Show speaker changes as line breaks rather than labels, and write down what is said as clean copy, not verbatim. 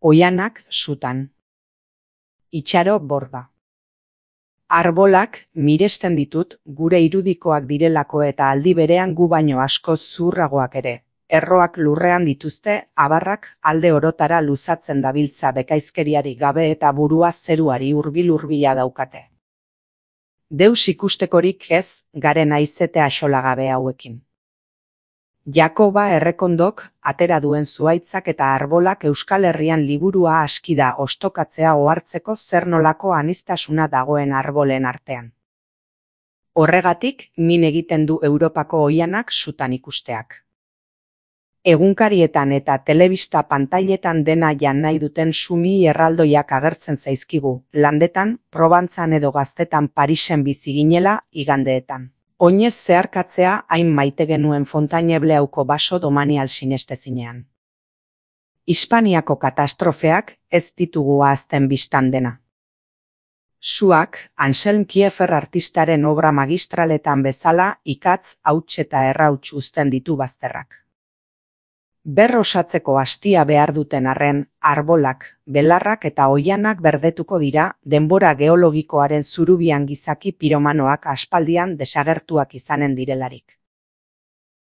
Oihanak sutan. Itxaro borda. Arbolak miresten ditut gure irudikoak direlako eta aldi berean gu baino askoz zuhurragoak ere. Erroak lurrean dituzte, abarrak alde orotara luzatzen dabiltza bekaizkeriarik gabe eta burua zeruari hurbil-hurbila daukate. Deus ikustekorik ez garen aizete axolagabe hauekin. Jakoba Errekondok atera duen zuhaitzak eta arbolak Euskal Herrian liburua aski da ostokatzea ohartzeko zer nolako aniztasuna dagoen arbolen artean. Horregatik min egiten du Europako oihanak sutan ikusteak. Egunkarietan eta telebista pantailetan dena jan nahi duten sumi erraldoiak agertzen zaizkigu, landetan, Probantzan edo Gaztetan Parisen bizi ginela igandeetan. Oinez zeharkatzea hain maite genuen Fontainebleauko baso domanial sinestezinean. Hispaniako katastrofeak ez ditugu ahazten bistan dena. Suak, Anselm Kiefer artistaren obra magistraletan bezala ikatz, hauts eta errauts uzten ditu bazterrak. Ber osatzeko astia behar duten arren, arbolak, belarrak eta oihanak berdetuko dira denbora geologikoaren zurubian gizaki piromanoak aspaldian desagertuak izanen direlarik.